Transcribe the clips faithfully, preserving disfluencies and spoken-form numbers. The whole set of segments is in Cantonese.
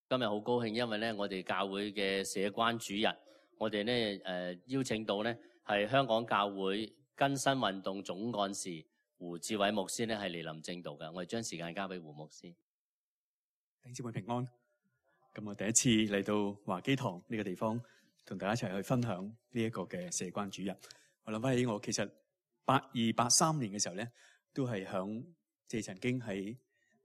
今日好高興，因為咧我哋教會嘅社關主日，我哋咧誒邀請到咧係香港教會更新運動總幹事胡志偉牧師咧係嚟臨正道嘅，我哋將時間交俾胡牧師。弟兄姊妹平安。咁我第一次嚟到華基堂呢個地方，同大家一齊去分享呢一個嘅社關主日。我諗翻起我其實八二八三年嘅時候咧，都係響即係曾經喺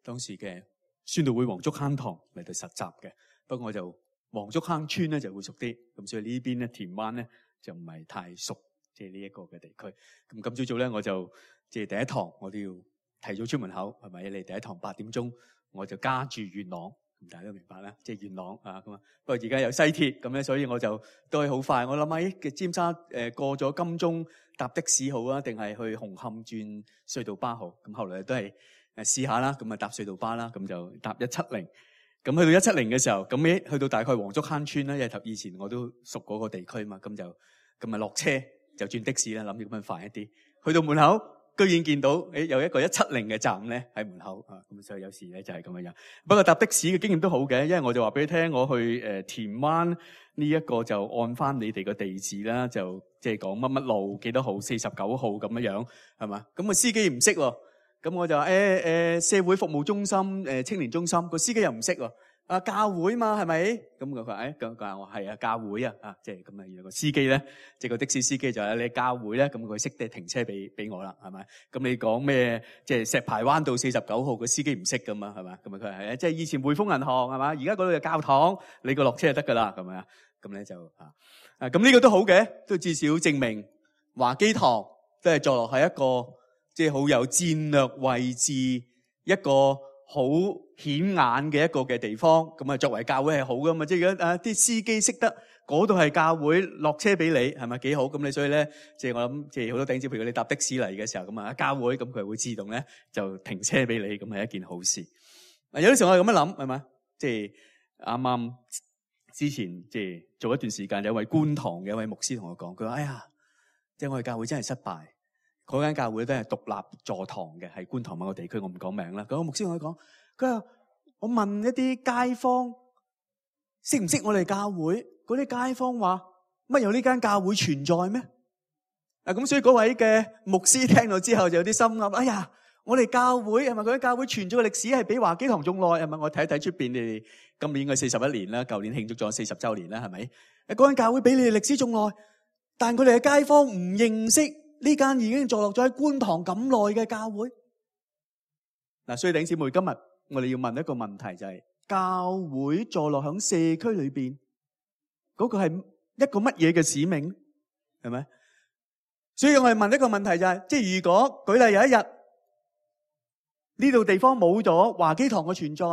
當時嘅宣道會黃竹坑堂嚟到實習嘅。不過我就黃竹坑村咧就會熟啲，咁所以呢邊咧田灣咧就唔係太熟，即係呢一個嘅地區。咁今朝早咧我就即係第一堂我都要提早出門口，係咪？你第一堂八點鐘我就加住元朗，咁大家都明白啦，即係元朗啊咁啊。不過而家有西鐵咁咧，所以我就都係好快。我諗喺嘅尖沙誒過咗金鐘搭的士好啊，定係去紅磡轉隧道巴好？咁後來都係誒試下啦，咁啊搭隧道巴啦，咁就搭一七零。咁去到一七零嘅時候，咁咧去到大概黃竹坑村啦，因為頭以前我都熟嗰個地區嘛，咁就咁啊落車就轉的士啦，諗住咁樣快一啲。去到門口，居然見到誒有一個一七零嘅站咧喺門口啊，咁所以有時咧就係咁樣樣。不過搭的士嘅經驗都好嘅，因為我就話俾你聽，我去誒田灣呢一個就按翻你哋個地址啦，就即係講乜乜路幾多號四十九號咁樣樣係嘛？咁個司機唔識喎。咁我就話誒誒社會服務中心誒青年中心，個司機又唔識喎，啊教會嘛係咪？咁佢話誒咁佢話我係啊教會啊啊即係咁啊，原來個司機咧即係個的士司機就係你教會咧，咁佢識得停車俾俾我啦係咪？咁你講咩即係石排灣道四十九號個司機唔識噶嘛係嘛？咁啊佢係啊即係以前匯豐銀行係嘛？而家嗰度有教堂，你個落車就得噶啦係咪啊？咁咧就啊啊咁呢個都好嘅，都至少證明華基堂都係坐落喺一個即係好有戰略位置，一個好顯眼嘅一個嘅地方。咁啊，作為教會係好噶嘛？即係如果啊啲司機識得嗰度係教會，落車俾你，係咪幾好？咁你所以咧，即係我諗，即係好多頂子，譬如你搭的士嚟嘅時候，咁啊教會，咁佢會自動咧就停車俾你，咁係一件好事。有啲時候我係咁樣諗，係咪？即係啱啱之前即係做一段時間，有一位觀塘嘅一位牧師同我講，佢話：哎呀，即係我哋教會真係失敗。嗰間教會都係獨立座堂嘅，係觀塘某個地區，我唔講名啦。咁個牧師同佢講，佢話我問一啲街坊識唔識我哋教會，嗰啲街坊話乜有呢間教會存在咩？啊咁，所以嗰位嘅牧師聽到之後就有啲心噏，哎呀，我哋教會係咪嗰間教會存在嘅歷史係比華基堂仲耐？係咪？我睇一睇出邊，你哋今年應該四十一年啦，舊年慶祝咗四十週年啦，係咪？誒，嗰間教會比你哋歷史仲耐，但佢哋嘅街坊唔認識呢間已經坐落咗喺觀塘咁耐嘅教會。嗱，所以弟兄姊妹，今日我哋要問一個問題，就係教會坐落響社區裏邊，嗰個係一個乜嘢嘅使命？係咪？所以我哋問一個問題就係，即係如果舉例有一日呢度地方冇咗華基堂嘅存在，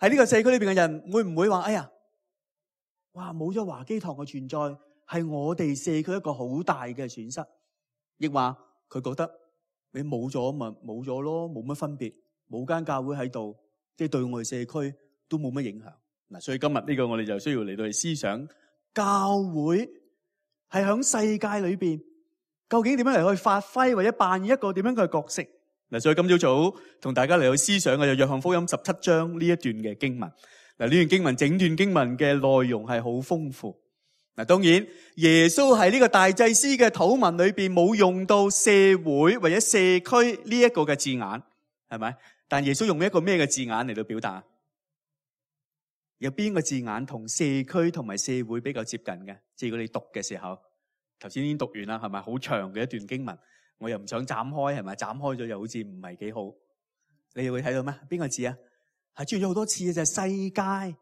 喺呢個社區裏邊嘅人會唔會話：哎呀，哇，冇咗華基堂嘅存在，係我哋社區一個好大嘅損失，亦話佢覺得你冇咗咪冇咗咯，冇乜分別，冇間教會喺度，即係對我哋社區都冇乜影響。嗱，所以今日呢個我哋就需要嚟到去思想，教會係響世界裏邊究竟點樣嚟去發揮或者扮演一個點樣嘅角色。嗱，所以今朝早同大家嚟去思想嘅就約翰福音十七章呢一段嘅經文。嗱，呢段經文整段經文嘅內容係好豐富。嗱，當然耶穌喺呢個大祭司嘅禱文裏邊冇用到社會或者社區呢一個嘅字眼，係咪？但耶穌用一個咩嘅字眼嚟到表達？有邊個字眼同社區同埋社會比較接近嘅？即係如果你讀嘅時候，頭先已經讀完啦，係咪？好長嘅一段經文，我又唔想斬開，係咪？斬開咗又好似唔係幾好。你又會睇到咩？邊個字啊？係出現咗好多次嘅就係世界。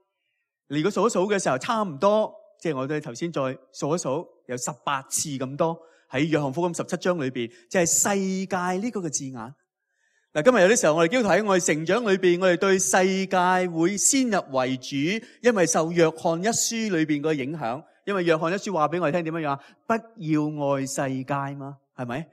你如果數一數嘅時候，差唔多。即係我哋頭先再數一數，有十八次咁多喺約翰福音十七章裏邊，就係世界呢個嘅字眼。嗱，今日有啲時候我哋基督徒喺我哋成長裏邊，我哋對世界會先入為主，因為受約翰一書裏邊個影響。因為約翰一書話俾我哋聽點樣樣，不要愛世界嘛，係咪？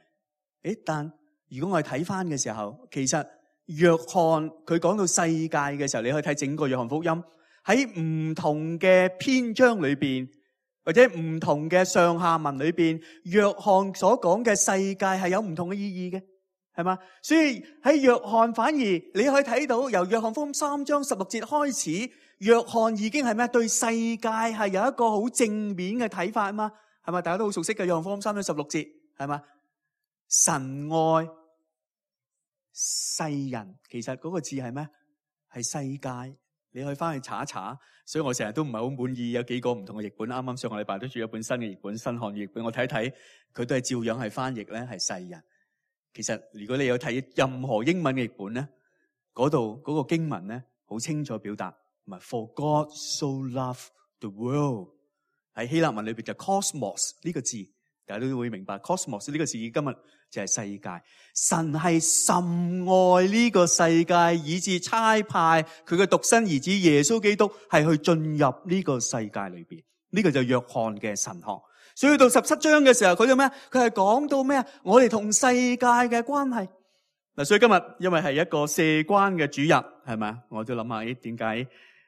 誒，但如果我哋睇翻嘅時候，其實約翰佢講到世界嘅時候，你可以睇整個約翰福音。喺唔同嘅篇章裏邊，或者唔同嘅上下文裏邊，約翰所講嘅世界係有唔同嘅意義嘅，係嘛？所以喺約翰反而你可以睇到，由約翰福音三章十六節開始，約翰已經係咩？對世界係有一個好正面嘅睇法啊嘛，係嘛？大家都好熟悉嘅約翰福音三章十六節，係嘛？神愛世人，其實嗰個字係咩？係世界。你可以翻去查一查。所以我成日都唔係好滿意有幾個唔同嘅譯本。啱啱上個禮拜都出咗一本新嘅譯本，新漢語譯本，我睇一睇，佢都係照樣係翻譯咧，係世人。其實如果你有睇任何英文嘅譯本咧，嗰度嗰個經文咧，好清楚表達，唔係 For God so loved the world。喺希臘文裏邊就 cosmos 呢個字，大家都會明白 cosmos 呢個字今日就係世界。神係甚愛呢個世界，以致差派佢嘅獨生兒子耶穌基督係去進入呢個世界裏邊。呢個就約翰嘅神學。所以到十七章嘅時候，佢就咩？佢係講到咩？我哋同世界嘅關係。嗱，所以今日因為係一個社關嘅主日，係咪？我都諗下，咦，點解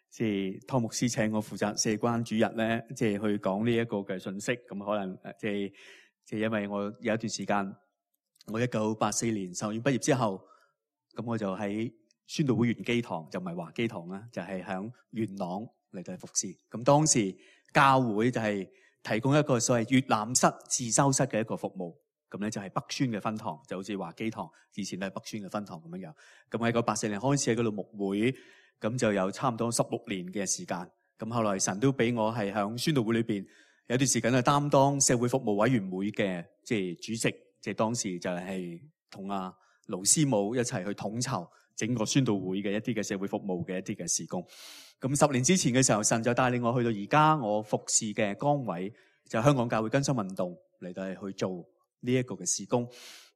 即係湯牧師請我負責社關主日咧？即係去講呢一個嘅信息。咁可能即係即係因為我有一段時間，我一九八四年神學院畢業之後，咁我就喺宣道會元基堂，就唔係華基堂啦，就係響元朗嚟到服侍。咁當時教會就係提供一個所謂閱覽室、自修室嘅一個服務，咁咧就係北宣嘅分堂，就好似華基堂以前都係北宣嘅分堂咁樣樣。咁喺一九八四年開始喺嗰度牧會，咁就有差唔多十六年嘅時間。咁後來神都俾我係響宣道會裏邊有段時間係擔當社會服務委員會嘅即係主席，即係當時就係同阿盧師母一齊去統籌整個宣道會嘅一啲嘅社會服務嘅一啲嘅事工。咁十年之前嘅時候，神就帶領我去到而家我服侍嘅崗位，就係香港教會更新運動嚟到去做呢一個嘅事工。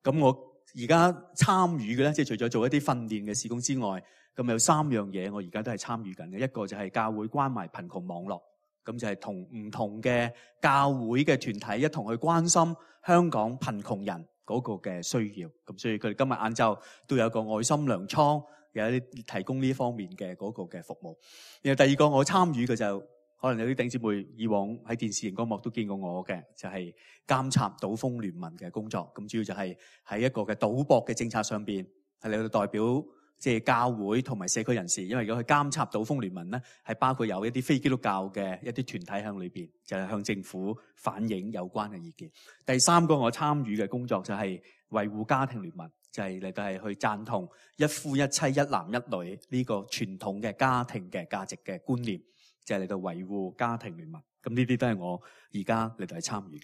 咁我而家參與嘅咧，即係除咗做一啲訓練嘅事工之外，咁有三樣嘢我而家都係參與緊嘅。一個就係教會關懷貧窮網絡，咁就係同唔同嘅教會嘅團體一同去關心香港貧窮人嗰個嘅需要。咁所以佢哋今日晏晝都有一個愛心糧倉，有一啲提供呢方面嘅嗰個嘅服務。然後第二個我參與嘅就可能有啲弟兄姊妹以往喺電視熒光幕都見過我嘅，就係監察賭風聯盟嘅工作。咁主要就係喺一個嘅賭博嘅政策上邊，係嚟到代表即係教會同埋社區人士。因為如果去監察賭風聯盟咧，係包括有一啲非基督教嘅一啲團體喺裏邊，就係向政府反映有關嘅意見。第三個我參與嘅工作就係維護家庭聯盟，就係嚟到係去贊同一夫一妻一男一女呢個傳統嘅家庭嘅價值嘅觀念，就係嚟到維護家庭聯盟。咁呢啲都係我而家嚟到係參與嘅。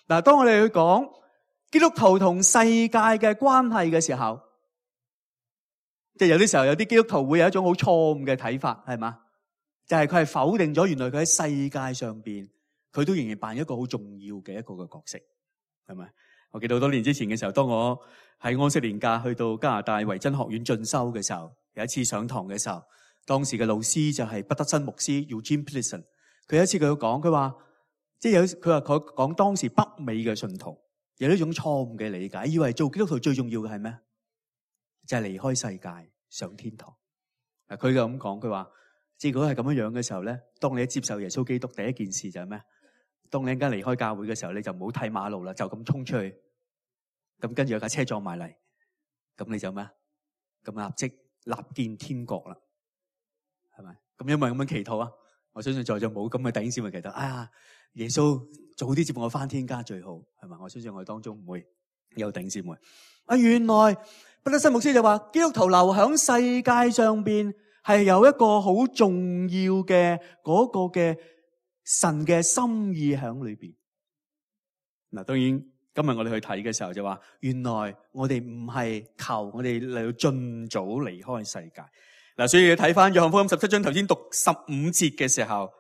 嗱，當我哋去講基督徒同世界嘅關係嘅時候，即係有啲時候有啲基督徒會有一種好錯誤嘅睇法，係嘛？就係佢係否定咗原來佢喺世界上邊，佢都仍然扮一個好重要嘅一個嘅角色，係咪？我記得好多年之前嘅時候，當我喺安息年假去到加拿大維真學院進修嘅時候，有一次上堂嘅時候，當時嘅老師就係畢德森牧師 Eugene Peterson。佢有一次佢講，佢話即係有佢話佢講當時北美嘅信徒有呢種錯誤嘅理解，以為做基督徒最重要嘅係咩？就係離開世界上天堂。嗱，佢就咁講，佢話即係如果係咁樣樣嘅時候咧，當你一接受耶穌基督，第一件事就係咩？當你一陣間離開教會嘅時候，你就唔好睇馬路啦，就咁衝出去。咁跟住有架車撞埋嚟，咁你就咩？咁立即立見天國啦，係咪？咁因為咁樣祈禱啊，我相信在座冇咁嘅弟兄姊妹祈禱，哎呀，耶穌早啲接我翻天家最好，係咪？我相信我哋當中唔會有弟兄姊妹。啊，原來畢德森牧師就話，基督徒留響世界上邊係有一個好重要嘅嗰個嘅神嘅心意喺裏邊。嗱，當然。今日我哋去睇嘅時候就話，原來我哋唔係求我哋嚟到盡早離開世界。嗱，所以睇翻約翰福音十七章頭先讀十五節嘅時候，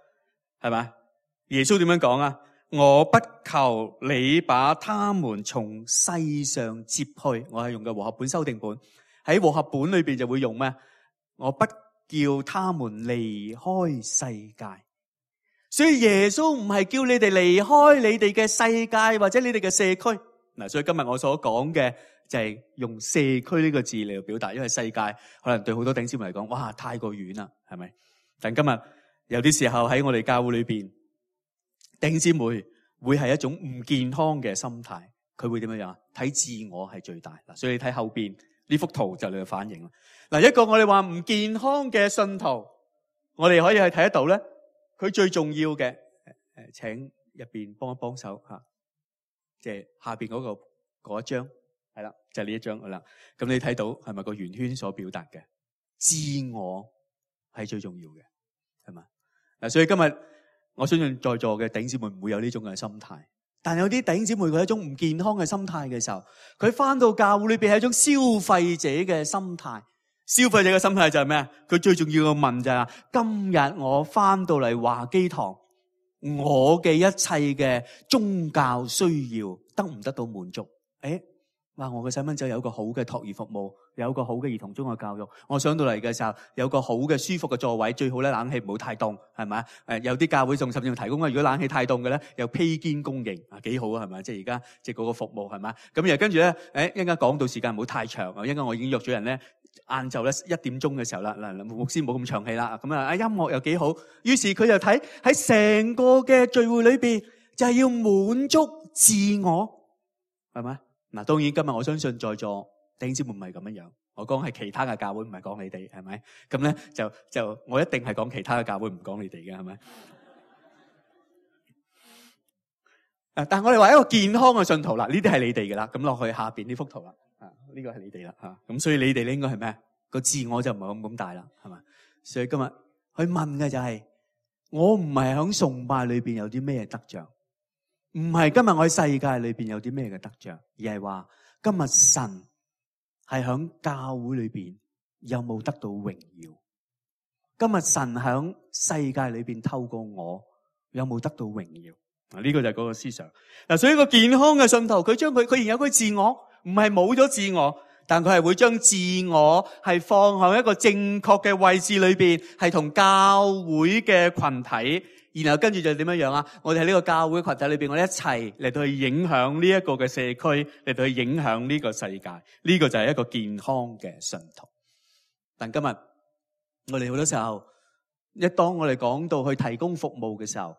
係咪？耶穌點樣講啊？我不求你把他們從世上接去，我係用嘅和合本修訂本。喺和合本裏邊就會用咩？我不叫他們離開世界。所以耶穌唔係叫你哋離開你哋嘅世界或者你哋嘅社區。嗱，所以今日我所講嘅就係用社區呢個字嚟表達，因為世界可能對好多弟兄姊妹嚟講，哇，太過遠啦，係咪？但今日有啲時候喺我哋教會裏邊，弟兄姊妹會係一種唔健康嘅心態，佢會點樣樣啊？睇自我係最大嗱，所以你睇後邊呢幅圖就你嘅反應啦。嗱，一個我哋話唔健康嘅信徒，我哋可以去睇得到咧。佢最重要嘅誒，請入邊幫一幫手吓，即係下邊嗰個嗰一張係啦，就係呢一張係啦。咁你睇到係咪個圓圈所表達嘅自我係最重要嘅係嘛？嗱，所以今日我相信在座嘅弟兄姊妹唔會有呢種嘅心態，但有啲弟兄姊妹佢係一種唔健康嘅心態嘅時候，佢翻到教會裏邊係一種消費者嘅心態。消費者嘅心態就係咩啊？佢最重要嘅問就係：今日我翻到嚟華基堂，我嘅一切嘅宗教需要得唔得到滿足？誒，哇！我嘅細蚊仔有個好嘅托兒服務，有個好嘅兒童中學教育。我上到嚟嘅時候，有個好嘅舒服嘅座位，最好咧冷氣唔好太凍，係咪？誒，有啲教會仲甚至提供啊，如果冷氣太凍嘅咧，有披肩供應啊，幾好啊，係咪？即係而家即係嗰個服務係咪？咁然後跟住咧，誒，一陣間講到時間唔好太長啊，一陣間我已經約咗人咧。晏晝咧一點鐘嘅時候啦，嗱，牧師冇咁長氣啦，咁啊，音樂又幾好，於是佢就睇喺成個嘅聚會裏邊，就係要滿足自我，係咪？嗱，當然今日我相信在座弟兄姊妹唔係咁樣樣，我講係其他嘅教會，唔係講你哋，係咪？咁咧就就我一定係講其他嘅教會，唔講你哋嘅，係咪？誒，但係我哋話一個健康嘅信徒啦，呢啲係你哋嘅啦，咁落去下邊呢幅圖啦。啊！呢個係你哋啦，吓，咁所以你哋咧應該係咩？個自我就唔係咁咁大啦，係嘛？所以今日去問嘅就係、是，我唔係響崇拜裏邊有啲咩得着，唔係今日我喺世界裏邊有啲咩嘅得着，而係話今日神係響教會裏邊有冇得到榮耀？今日神響世界裏邊透過我有冇得到榮耀？嗱，呢個就係嗰個思想。嗱，所以一個健康嘅信徒，佢將佢佢仍有佢自我。唔係冇咗自我，但佢係會將自我係放喺一個正確嘅位置裏邊，係同教會嘅群體，然後跟住就點樣樣啊？我哋喺呢個教會群體裏邊，我哋一齊嚟到去影響呢一個嘅社區，嚟到去影響呢個世界。呢個就係一個健康嘅信徒。但今日我哋好多時候，一當我哋講到去提供服務嘅時候，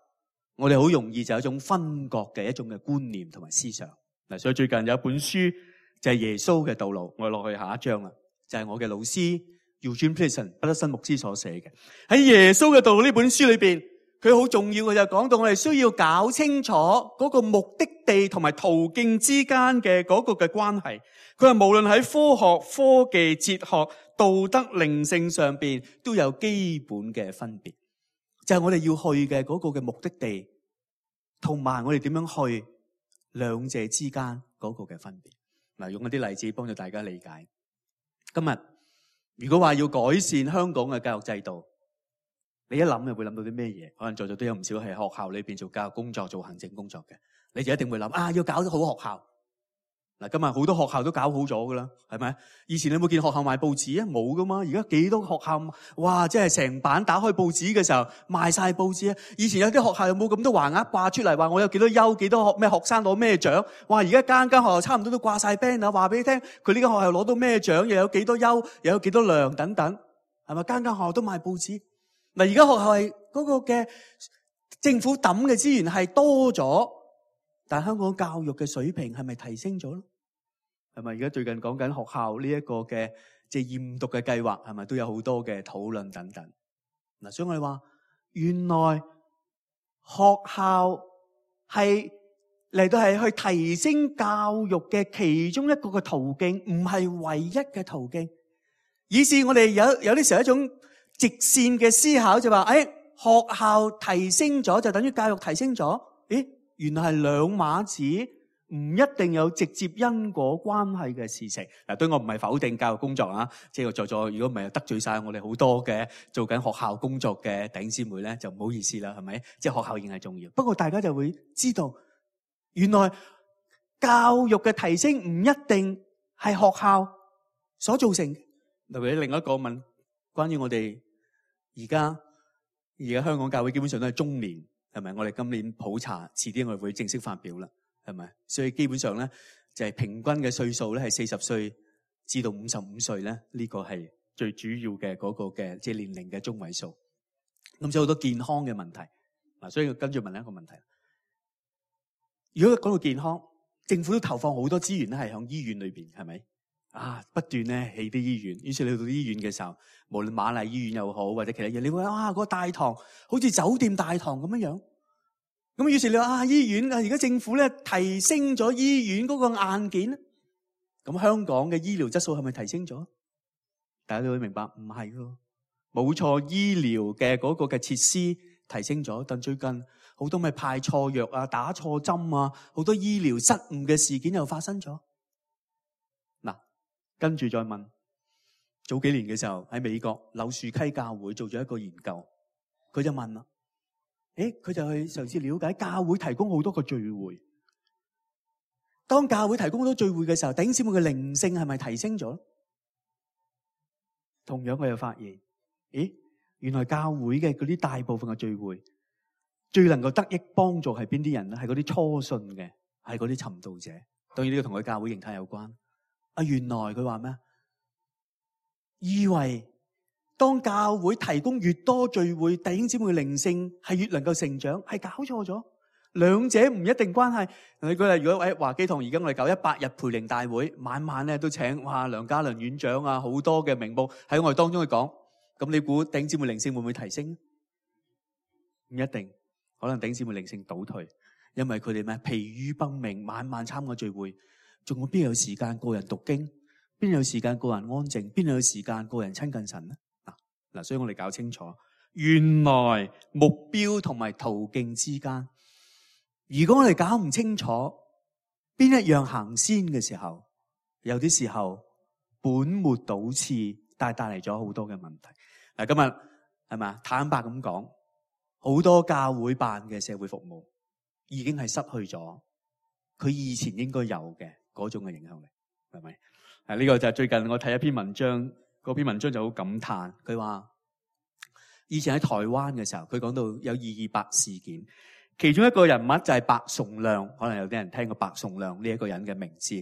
我哋好容易就有一種分割嘅一種嘅觀念同埋思想。嗱，所以最近有一本書。就係耶穌嘅道路，我落去下一章啦。就係、是、我嘅老師 Eugene Peterson 畢德森牧師所寫嘅。喺耶穌嘅道路呢本書裏邊，佢好重要嘅就講到我哋需要搞清楚嗰個目的地同埋途徑之間嘅嗰個嘅關係。佢話無論喺科學、科技、哲學、道德、靈性上邊都有基本嘅分別。就係、是、我哋要去嘅嗰個嘅目的地，同埋我哋點樣去兩者之間嗰個嘅分別。嗱，用一啲例子幫助大家理解。今日如果話要改善香港嘅教育制度，你一諗就會諗到啲咩嘢？可能在座都有唔少係學校裏邊做教育工作、做行政工作嘅，你就一定會諗啊，要搞得好學校。嗱，今日好多學校都搞好咗噶啦，係咪？以前你有冇見學校賣報紙啊？冇噶嘛。而家幾多學校，哇！即係成版打開報紙嘅時候賣晒報紙啊！以前有啲學校有冇咁多橫額掛出嚟，話我有幾多優、幾多學咩學生攞咩獎？哇！而家間間學校差唔多都掛晒 banner，話俾你聽，佢呢間學校攞到咩獎，又有幾多優，又有幾多量等等，係咪？間間學校都賣報紙。嗱，而家學校係嗰個嘅政府抌嘅資源係多咗。但香港教育嘅水平係咪提升咗咧？係咪而家最近講緊學校呢一個嘅即係驗讀嘅計劃，係咪都有好多嘅討論等等？嗱，所以我哋話原來學校係嚟到係去提升教育嘅其中一個嘅途徑，唔係唯一嘅途徑。於是我哋有有啲時候一種直線嘅思考，就話誒，學校提升咗就等於教育提升咗？誒？原來係兩碼子，唔一定有直接因果關係嘅事情。嗱，對我唔係否定教育工作啊，即係我在座如果唔係得罪晒我哋好多嘅做緊學校工作嘅弟兄姊妹咧，就唔好意思啦，係咪？即係學校仍係重要。不過大家就會知道，原來教育嘅提升唔一定係學校所造成。例如另一個問，關於我哋而家而家香港教會基本上都係中年。係咪？我哋今年普查，遲啲我哋會正式發表啦。係咪？所以基本上咧，就係平均嘅歲數咧係四十歲至到五十五歲咧，呢個係最主要嘅嗰個嘅即係年齡嘅中位數。咁所以好多健康嘅問題嗱，所以跟住問一個問題：如果講到健康，政府都投放好多資源咧，係響醫院裏邊，係咪啊？不斷咧起啲醫院，於是你去到醫院嘅時候，無論瑪麗醫院又好，或者其他嘢，你會啊，嗰個大堂好似酒店大堂咁樣樣。咁於是你話啊，醫院啊，而家政府咧提升咗醫院嗰個硬件咧，咁香港嘅醫療質素係咪提升咗？大家都會明白，唔係咯，冇錯，醫療嘅嗰個嘅設施提升咗，但最近好多咪派錯藥啊、打錯針啊，好多醫療失誤嘅事件又發生咗。嗱，跟住再問，早幾年嘅時候喺美國柳樹溪教會做咗一個研究，佢就問啦，誒，佢就去嘗試了解教會提供好多個聚會，當教會提供好多聚會嘅時候，弟兄姊妹嘅靈性係咪提升咗？同樣我又發現，咦，原來教會嘅嗰啲大部分嘅聚會，最能夠得益幫助係邊啲人咧？係嗰啲初信嘅，係嗰啲尋道者。當然呢個同佢教會形態有關。啊，原來佢話咩？以為當教會提供越多聚會，弟兄姊妹嘅靈性係越能夠成長，係搞錯咗。兩者唔一定關係。你舉例，如果喺華基堂而家我哋搞一百日培靈大會，晚晚咧都請哇梁家麟院長啊，好多嘅名目喺我哋當中去講。咁你估弟兄姊妹靈性會唔會提升？唔一定，可能弟兄姊妹靈性倒退，因為佢哋咩疲於奔命，晚晚參加聚會，仲有邊有時間個人讀經？邊有時間個人安靜？邊有時間個人親近神咧？嗱嗱，所以我哋搞清楚，原來目標同埋途徑之間。如果我哋搞唔清楚邊一樣行先嘅時候，有啲時候本末倒置，但係帶嚟咗好多嘅問題。嗱，今日係咪坦白咁講，好多教會辦嘅社會服務已經係失去咗佢以前應該有嘅嗰種嘅影響力，係咪？啊，呢個就係最近我睇一篇文章，嗰篇文章就好感嘆，佢話以前喺台灣嘅時候，佢講到有二二八事件。其中一個人物就係白崇亮，可能有啲人聽過白崇亮呢一個人嘅名字。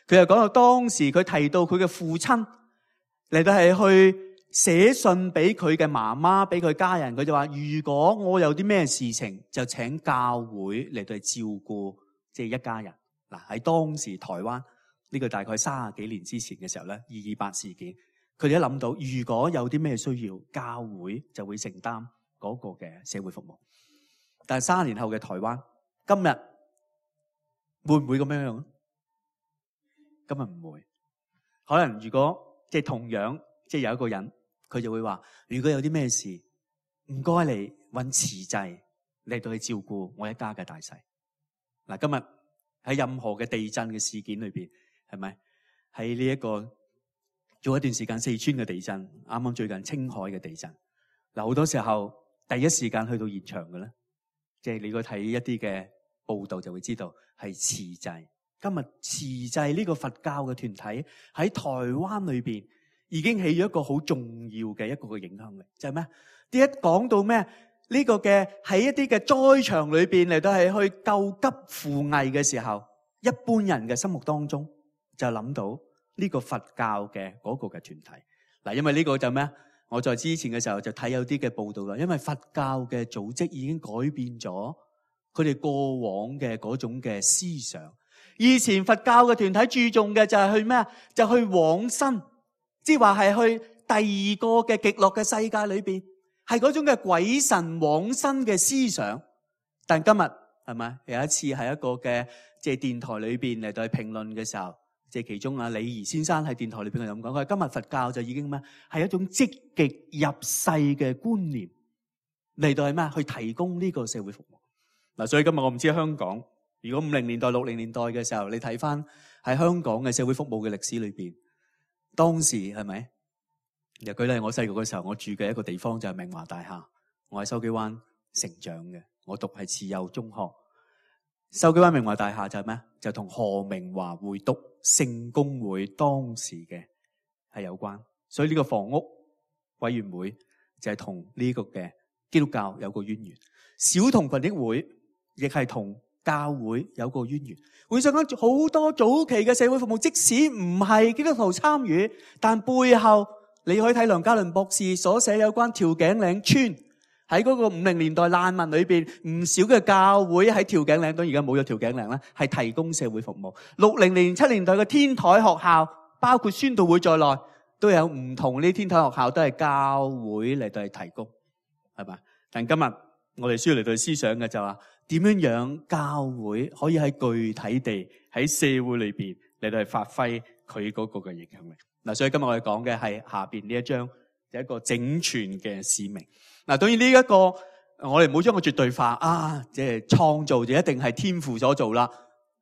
佢又講到當時佢提到佢嘅父親嚟到係去寫信俾佢嘅媽媽，俾佢家人。佢就話：如果我有啲咩事情，就請教會嚟到去照顧，即係一家人。嗱，喺當時台灣呢個大概三十幾年之前嘅時候咧，二二八事件，佢哋一諗到如果有啲咩需要，教會就會承擔嗰個嘅社會服務。但係三年後嘅台灣，今日會唔會咁樣樣？今日唔會。可能如果即係同樣，即係有一個人，佢就會話：如果有啲咩事，唔該嚟搵慈濟嚟到去照顧我一家嘅大細。嗱，今日喺任何嘅地震嘅事件裏邊，係咪喺呢一個做一段時間四川嘅地震，啱啱最近青海嘅地震，嗱，好多時候第一時間去到現場嘅咧。即係你如果睇一啲嘅報道就會知道係慈濟。今日慈濟呢個佛教嘅團體喺台灣裏邊已經起咗一個好重要嘅一個嘅影響力，就係咩？啲一講到咩呢個嘅喺一啲嘅災場裏邊嚟到係去救急扶危嘅時候，一般人嘅心目當中就諗到呢個佛教嘅嗰個嘅團體。嗱，因為呢個就咩？我在之前嘅時候就睇有啲嘅報道啦，因為佛教嘅組織已經改變咗佢哋過往嘅嗰種嘅思想。以前佛教嘅團體注重嘅就係去咩啊？就去往生，即係話係去第二個嘅極樂嘅世界裏邊，係嗰種嘅鬼神往生嘅思想。但今日係咪有一次喺一個嘅即係電台裏邊嚟到去評論嘅時候，即係其中啊李儀先生喺電台裏邊係咁講，佢話今日佛教就已經咩係一種積極入世嘅觀念嚟到係咩去提供呢個社會服務。嗱，所以今日我唔知香港，如果五零年代六零年代嘅時候，你睇翻喺香港嘅社會服務嘅歷史裏邊，當時係咪？又舉例我細個嘅時候，我住嘅一個地方就係明華大廈，我喺筲箕灣成長嘅，我讀係慈幼中學。筲箕灣明華大廈就係咩？就同何明華會督聖公會當時嘅係有關，所以呢個房屋委員會就係同呢個嘅基督教有個淵源。小童群益會亦係同教會有個淵源。會上講好多早期嘅社會服務，即使唔係基督徒參與，但背後你可以睇梁家麟博士所寫有關調景嶺村喺嗰個五零年代難民裏邊，唔少嘅教會喺調景嶺，當然而家冇咗調景嶺啦，係提供社會服務。六零年、七年代嘅天台學校，包括宣道會在內，都有唔同呢啲天台學校都係教會嚟到去提供，係嘛？但今日我哋需要嚟到去思想嘅就話，點樣樣教會可以喺具體地喺社會裏邊嚟到去發揮佢嗰個嘅影響力。嗱，所以今日我哋講嘅係下邊呢一章，就一個整全嘅使命。嗱，當然呢一個我哋唔好將個絕對化啊，即係創造就一定係天父所做啦。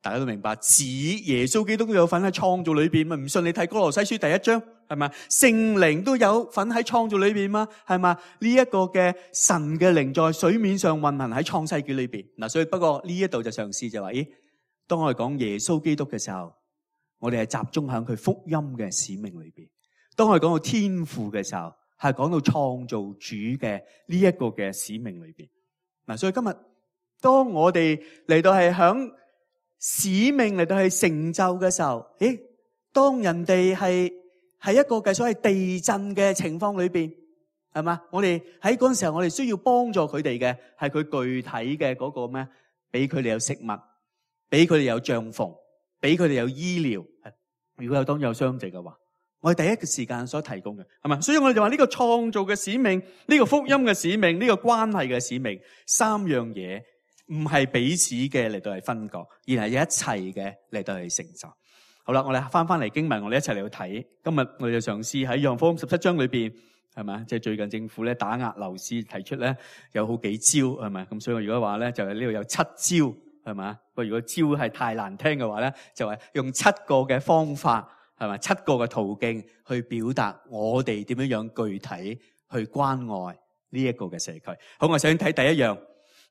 大家都明白，指耶穌基督都有份喺創造裏邊嘛？唔信你睇哥羅西書第一章，係咪？聖靈都有份喺創造裏邊嘛？係嘛？呢一個嘅神嘅靈在水面上運行喺創世紀裏邊。嗱，所以不過呢一度就嘗試就話，咦，當我哋講耶穌基督嘅時候，我哋係集中喺佢福音嘅使命裏邊；當我哋講到天父嘅時候，係講到創造主嘅呢一個嘅使命裏邊。嗱，所以今日當我哋嚟到係響使命嚟到係成就嘅時候，誒，當人哋係喺一個嘅所謂地震嘅情況裏邊，係嘛？我哋喺嗰陣時候，我哋需要幫助佢哋嘅係佢具體嘅嗰個咩？俾佢哋有食物，俾佢哋有帳篷，俾佢哋有醫療。如果有當有傷者嘅話，我哋第一個時間所提供嘅，係嘛？所以我哋就話呢個創造嘅使命，呢個福音嘅使命，呢個關係嘅使命，三樣嘢唔係彼此嘅嚟到係分割，而係一齊嘅嚟到係成就。好啦，我哋翻翻嚟經文，我哋一齊嚟去睇。今日我哋就嘗試喺約翰福音十七章裏邊，係嘛？即係最近政府咧打壓樓市，提出咧有好幾招，係咪？咁所以我如果話咧，就係呢度有七招，係嘛？不過如果招係太難聽嘅話咧，就係用七個嘅方法，係咪？七個嘅途徑去表達我哋點樣樣具體去關愛呢一個嘅社區。好，我想睇第一樣，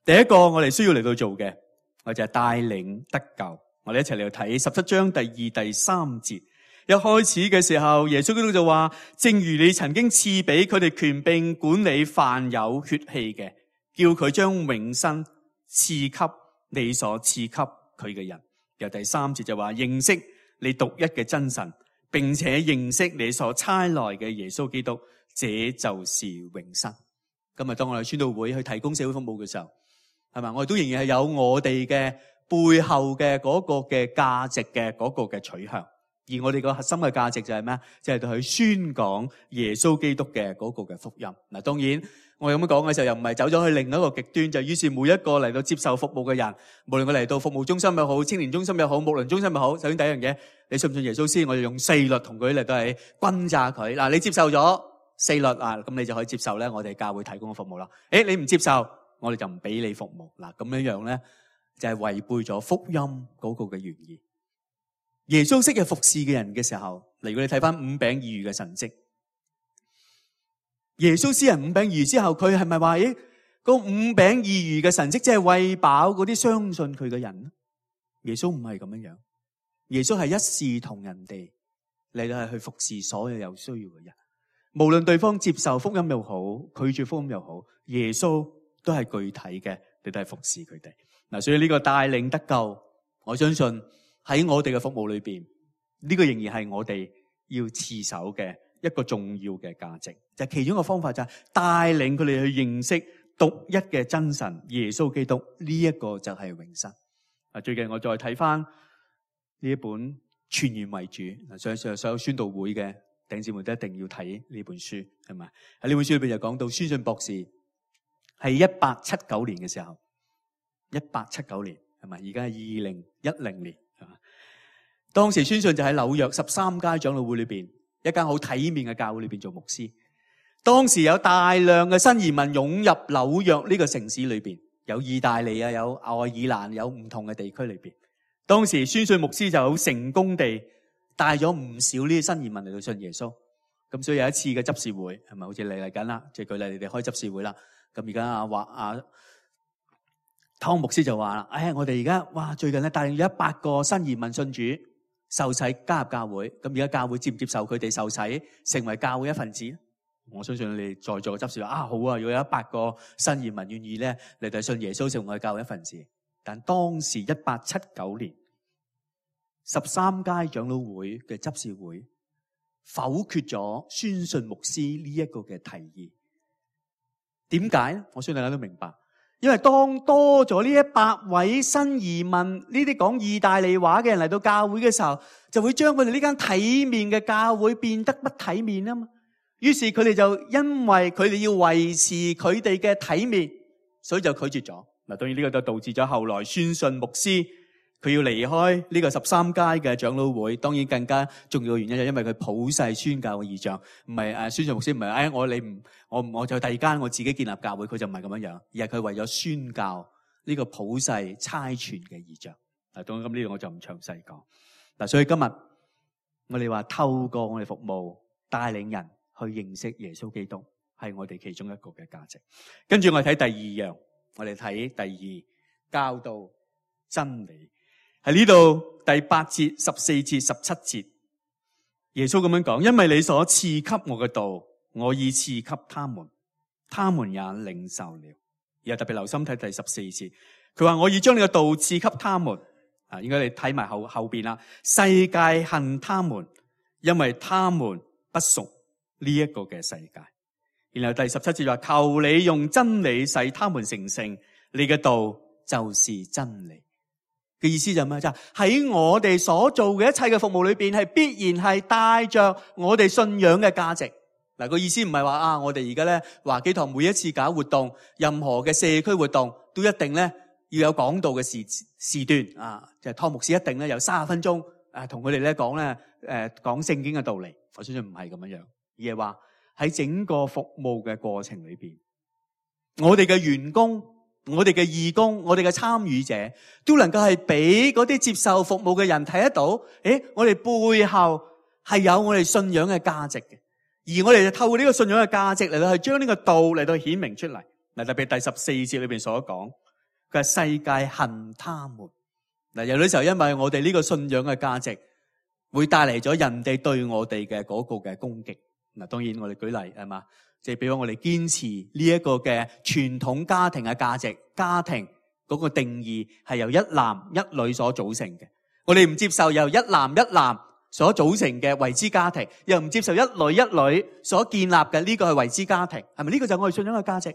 第一個我哋需要嚟到做嘅，我就係帶領得救。我哋一齊嚟睇十七章第二、第三節。一開始嘅時候，耶穌基督就話：正如你曾經賜俾佢哋權柄管理凡有血氣嘅，叫佢將永生賜給你所賜給佢嘅人。由第三節就話：認識你獨一嘅真神，並且認識你所差來嘅耶穌基督，這就是永生。今日當我哋宣道會去提供社會服務嘅時候，係咪？我哋都仍然係有我哋嘅背後嘅嗰個嘅價值嘅嗰個嘅取向，而我哋個核心嘅價值就係咩？就係去宣講耶穌基督嘅嗰個嘅福音。嗱，當然我咁樣講嘅時候，又唔係走咗去另一個極端，就於是每一個嚟到接受服務嘅人，無論佢嚟到服務中心又好、青年中心又好、牧靈中心又好，首先第一樣嘢，你信唔信耶穌先？我就用四律同佢嚟到係轟炸佢。嗱，你接受咗四律啊，咁你就可以接受咧我哋教會提供嘅服務啦。誒，你唔接受，我哋就唔俾你服務。嗱，咁樣樣咧，就係違背咗福音嗰個嘅原意。耶穌昔日服侍嘅人嘅時候，如果你睇翻五餅二魚嘅神蹟，耶穌施行五餅二魚之後，佢係咪話誒，個五餅二魚嘅神蹟即係餵飽嗰啲相信佢嘅人？耶穌唔係咁樣樣，耶穌係一視同仁地嚟到係去服侍所有有需要嘅人，無論對方接受福音又好，拒絕福音又好，耶穌都係具體嘅嚟到係服侍佢哋。嗱，所以呢個帶領得救，我相信喺我哋嘅服務裏邊，呢個仍然係我哋要持守嘅一個重要嘅價值。就係其中一個方法就係帶領佢哋去認識獨一嘅真神耶穌基督，呢一個就係永生。啊，最近我再睇翻呢一本全然為主，嗱，所以所有宣道會嘅弟兄姊妹都一定要睇呢本書，係咪？喺呢本書裏邊就講到宣信博士係一八七九年嘅時候。一八七九年係咪？而家係二零一零年係嘛？當時宣信就喺紐約十三街長老會裏邊一間好體面嘅教會裏邊做牧師。當時有大量嘅新移民湧入紐約呢個城市裏邊，有意大利啊，有愛爾蘭，有唔同嘅地區裏邊。當時宣信牧師就好成功地帶咗唔少呢啲新移民嚟到信耶穌。咁所以有一次嘅執事會係咪？好似嚟嚟緊啦，即係舉例你哋開執事會啦。咁而家阿華阿湯牧師就話啦：，哎，我哋而家哇，最近咧帶領咗一百個新移民信主受洗加入教會。咁而家教會接唔接受佢哋受洗成為教會一份子？我相信你哋在座嘅執事話：啊，好啊！如果有一百個新移民願意咧嚟到信耶穌成為教會一份子。但當時一八七九年，十三街長老會嘅執事會否決咗宣信牧師呢一個嘅提議。點解咧？我相信大家都明白，因為當多咗呢一百位新移民呢啲講意大利話嘅人嚟到教會嘅時候，就會將佢哋呢間體面嘅教會變得不體面啊嘛。於是佢哋就因為佢哋要維持佢哋嘅體面，所以就拒絕咗。嗱，當然呢個就導致咗後來宣信牧師佢要離開呢個十三屆嘅長老會。當然更加重要嘅原因就因為佢普世宣教嘅異象，唔係誒宣信牧師唔係誒我你唔我我就第二間我自己建立教會，佢就唔係咁樣樣，而係佢為咗宣教呢個普世差傳嘅異象。嗱，當然咁呢度我就唔詳細講。嗱，所以今日我哋話透過我哋服務帶領人去認識耶穌基督，係我哋其中一個嘅價值。跟住我哋睇第二樣，我哋睇第二教導真理。喺呢度第八節、十四節、十七節，耶穌咁樣講：因為你所賜給我嘅道，我已賜給他們，他們也領受了。而特別留心睇第十四節，佢話我已將你嘅道賜給他們。啊，應該你睇埋後後邊啦。世界恨他們，因為他們不屬呢一個嘅世界。然後第十七節話：求你用真理使他們成聖，你嘅道就是真理。嘅意思就係咩？就係喺我哋所做嘅一切嘅服務裏邊，係必然係帶着我哋信仰嘅價值。嗱，個意思唔係話啊，我哋而家咧華基堂每一次搞活動，任何嘅社區活動都一定咧要有講道嘅時時段啊，就係湯牧師一定咧有三十分鐘啊，同佢哋咧講咧誒講聖經嘅道理。我相信唔係咁樣樣，而係話喺整個服務嘅過程裏邊，我哋嘅員工、我哋嘅義工、我哋嘅參與者，都能夠係俾嗰啲接受服務嘅人睇得到，誒，我哋背後係有我哋信仰嘅價值嘅，而我哋就透過呢個信仰嘅價值嚟到去將呢個道嚟到顯明出嚟。嗱，特別第十四節裏邊所講，佢係世界恨他們。嗱，有啲時候因為我哋呢個信仰嘅價值，會帶嚟咗人哋對我哋嘅嗰個嘅攻擊。嗱，當然我哋舉例係嘛，即係比如我哋堅持呢一個嘅傳統家庭嘅價值，家庭嗰個定義係由一男一女所組成嘅。我哋唔接受由一男一男所組成嘅為之家庭，又唔接受一女一女所建立嘅呢個係為之家庭，係咪呢個就係我哋信仰嘅價值？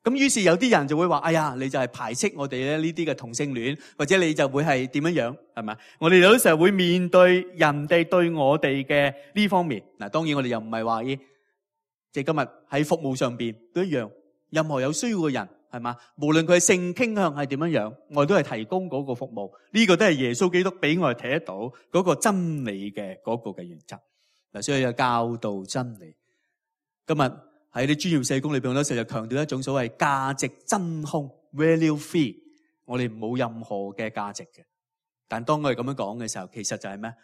咁於是有啲人就會話：哎呀，你就係排斥我哋咧呢啲嘅同性戀，或者你就會係點樣樣，係咪？我哋有啲時候會面對人哋對我哋嘅呢方面。嗱，當然我哋又唔係話，即係今日喺服務上邊都一樣，任何有需要嘅人，係嘛？無論佢嘅性傾向係點樣樣，我哋都係提供嗰個服務。呢個都係耶穌基督俾我哋睇得到嗰個真理嘅嗰個嘅原則。嗱，所以有教導真理。今日喺啲專業社工裏邊，好多時就強調一種所謂價值真空 （value free）。我哋冇任何嘅價值嘅。但當我哋咁樣講嘅時候，其實就係咩？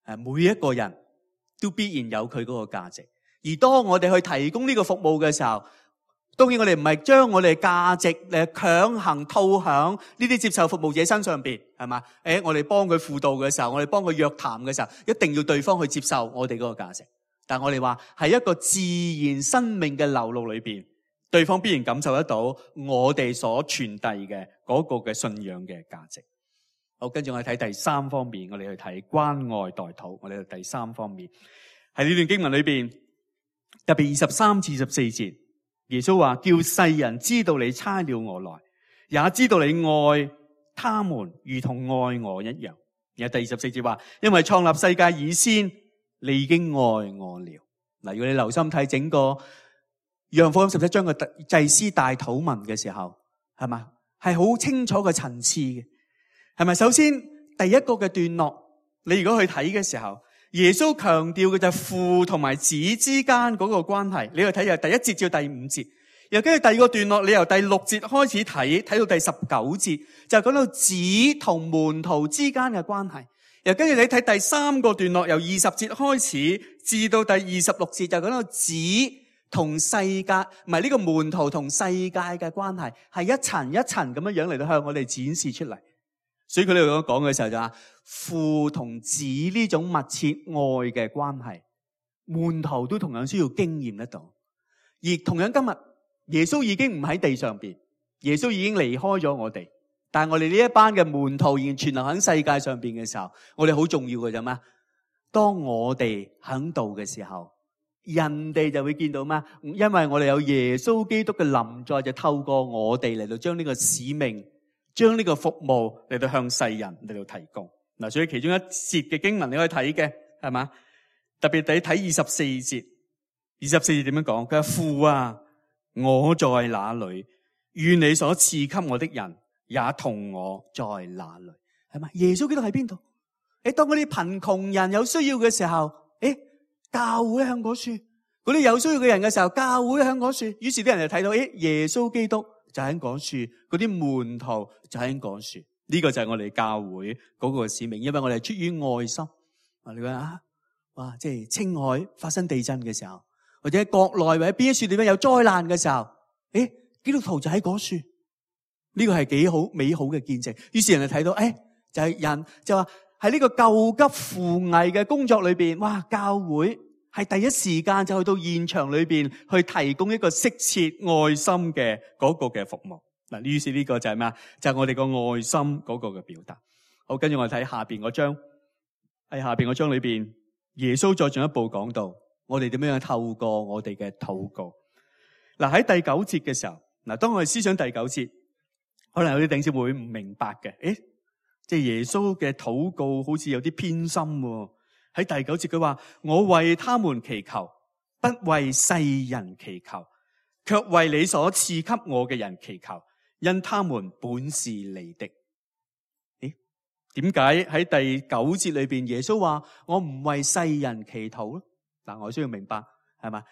誒，每一個人都必然有佢嗰個價值。而當我哋去提供呢個服務嘅時候，當然我哋唔係將我哋嘅價值誒強行套響呢啲接受服務者身上邊，係嘛？誒，我哋幫佢輔導嘅時候，我哋幫佢約談嘅時候，一定要對方去接受我哋嗰個價值。但我哋話係一個自然生命嘅流露裏邊，對方必然感受得到我哋所傳遞嘅嗰個嘅信仰嘅價值。好，跟住我哋睇第三方面，我哋去睇關愛代禱。我哋去第三方面喺呢段經文裏邊，特別二十三至十四節，耶穌話：叫世人知道你差了我來，也知道你愛他們如同愛我一樣。然後第二十四節話：因為創立世界以先，你已經愛我了。嗱，如果你留心睇整個約翰福音十七章嘅祭司大禱文嘅時候，係嘛，係好清楚嘅層次嘅，係咪？首先第一個嘅段落，你如果去睇嘅時候，耶穌強調嘅就係父同埋子之間嗰個關係。你去睇由第一節至到第五節，又跟住第二個段落，你由第六節開始睇，睇到第十九節，就講到子同門徒之間嘅關係。又跟住你睇第三個段落，由二十節開始至到第二十六節，就講到子同世界，唔係呢個門徒同世界嘅關係，係一層一層咁樣樣嚟到向我哋展示出嚟。所以佢哋咁講嘅時候就話，父同子呢種密切愛嘅關係，門徒都同樣需要經驗得到。而同樣今日耶穌已經唔喺地上邊，耶穌已經離開咗我哋。但係我哋呢一班嘅門徒仍然存留喺世界上邊嘅時候，我哋好重要嘅啫嘛。當我哋喺度嘅時候，人哋就會見到咩？因為我哋有耶穌基督嘅臨在，就透過我哋嚟到將呢個使命、將呢個服務嚟到向世人嚟到提供。嗱，所以其中一節嘅經文你可以睇嘅，係嘛？特別你睇二十四節，二十四節點樣講？佢話，父啊，我在哪裏？願你所賜給我的人也同我在哪裏？係嘛？耶穌基督喺邊度？誒，當嗰啲貧窮人有需要嘅時候，誒，教會向嗰處；嗰啲有需要嘅人嘅時候，教會向嗰處。於是啲人就睇到，誒，耶穌基督就喺嗰處，嗰啲門徒就喺嗰處。呢個就係我哋教會嗰個使命，因為我哋係出於愛心。啊，你講啊，哇，即係青海發生地震嘅時候，或者國內或者邊一處地方有災難嘅時候，誒，基督徒就喺嗰處。呢個係幾好美好嘅見證。於是人就睇到，誒，就係人就話喺呢個救急扶危嘅工作裏邊，哇！教會係第一時間就去到現場裏邊去提供一個適切愛心嘅嗰個嘅服務。嗱，於是呢個就係咩啊？就係我哋個愛心嗰個嘅表達。好，跟住我哋睇下邊嗰章，喺下邊嗰章裏邊，耶穌再進一步講到，我哋點樣透過我哋嘅禱告。嗱，喺第九節嘅時候，嗱，當我哋思想第九節，可能有啲弟兄姊妹會唔明白嘅，誒，即係耶穌嘅禱告好似有啲偏心喎。喺第九節佢話：我為他們祈求，不為世人祈求，卻為你所賜給我嘅人祈求。因他們本是你的。咦？點解喺第九節裏邊耶穌話我唔為世人祈禱咧？嗱，我需要明白係嘛？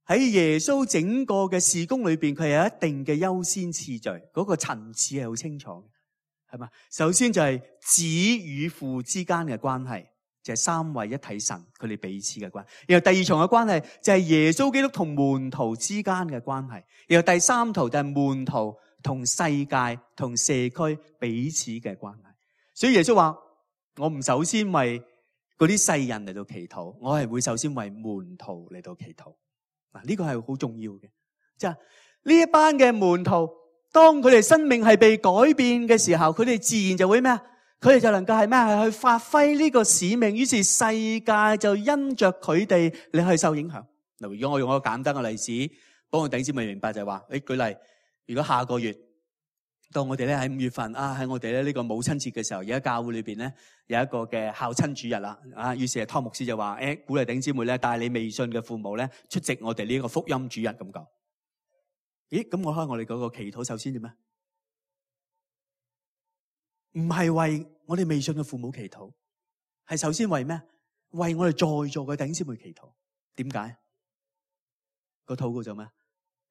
喺耶穌整個嘅事工裏邊，佢有一定嘅優先次序，嗰個層次係好清楚嘅，係嘛？首先就係子與父之間嘅關係，就係三位一體神佢哋彼此嘅關係。然後第二重嘅關係就係耶穌基督同門徒之間嘅關係。然後第三圖就係門徒同世界、同社區彼此嘅關係。所以耶穌話：我唔首先為嗰啲世人嚟到祈禱，我係會首先為門徒嚟到祈禱。嗱，呢個係好重要嘅。即係呢一班嘅門徒，當佢哋生命係被改變嘅時候，佢哋自然就會咩啊？佢哋就能夠係咩啊？去發揮呢個使命。於是世界就因着佢哋嚟去受影響。嗱，如果我用一個簡單嘅例子，幫我弟兄姊妹明白就係話，誒，舉例。如果下個月到我哋咧喺五月份啊，喺我哋咧呢個母親節嘅時候，而家教會裏邊咧有一個嘅孝親主日啦，啊，於是湯牧師就話：誒，鼓勵弟兄姊妹咧帶你未信嘅父母咧出席我哋呢個福音主日咁講。咦？咁我開我哋嗰個祈禱首先點啊？唔係為我哋未信嘅父母祈禱，係首先為咩？為我哋在座嘅弟兄姊妹祈禱。點解？個禱告就咩？